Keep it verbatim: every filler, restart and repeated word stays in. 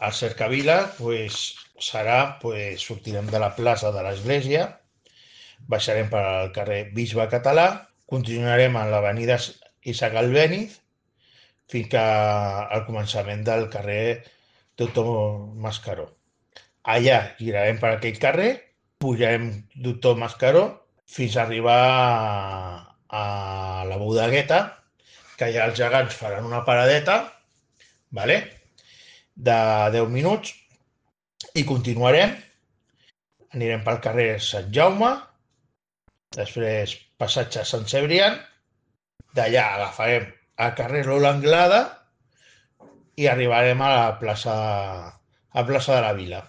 al Cercavila pues, serà, pues, sortirem de la plaça de l'Església, baixarem pel carrer Bisbe Català, continuarem a l'avenida Isaac Albéniz fins al començament del carrer Doctor Mascaró. Allà girarem per aquell carrer, pujarem Doctor Mascaró fins a arribar a, a la Bodegueta, que allà els gegants faran una paradeta, vale? De deu minuts, i continuarem. Anirem pel carrer Sant Jaume, després passatge Sant Cebrián, d'allà agafarem el carrer Lola Anglada i arribarem a la plaça, a plaça de la Vila.